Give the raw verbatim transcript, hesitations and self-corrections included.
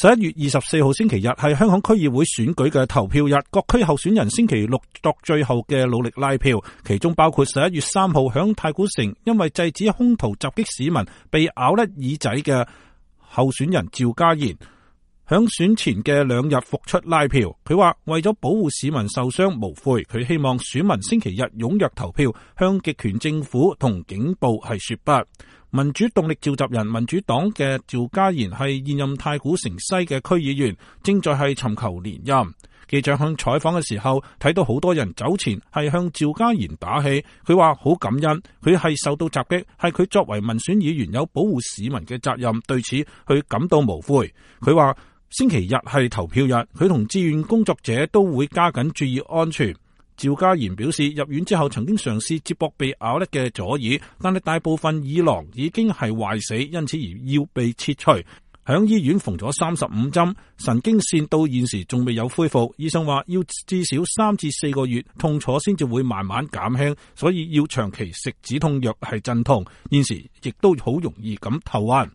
十一月二十四號星期日係香港區議會選舉嘅投票日，各區候選人星期六作最後嘅努力拉票，其中包括十一月三號響太古城因為制止兇徒襲擊市民被咬甩耳仔嘅候選人趙家賢。響選前嘅兩日復出拉票，佢話為咗保護市民受傷無悔，佢希望選民星期日踴躍投票，向極權政府同警暴係說不。民主動力召集人民主黨嘅趙家賢係現任太古城西嘅區議員，正在係尋求連任。記者向採訪嘅時候睇到好多人走前係向趙家賢打氣，佢話好感恩，佢係受到襲擊，係佢作為民選議員有保護市民嘅責任，對此佢感到無悔。佢話星期日係投票日，佢同志願工作者都會加緊注意安全。趙家賢表示，入院之後曾經嘗試接駁被咬甩嘅左耳，但係大部分耳囊已經係壞死，因此而要被切除。響醫院縫咗三十五針，神經線到現時仲未有恢復。醫生話要至少三至四個月痛楚先至會慢慢減輕，所以要長期食止痛藥係鎮痛。現時亦都好容易咁頭暈。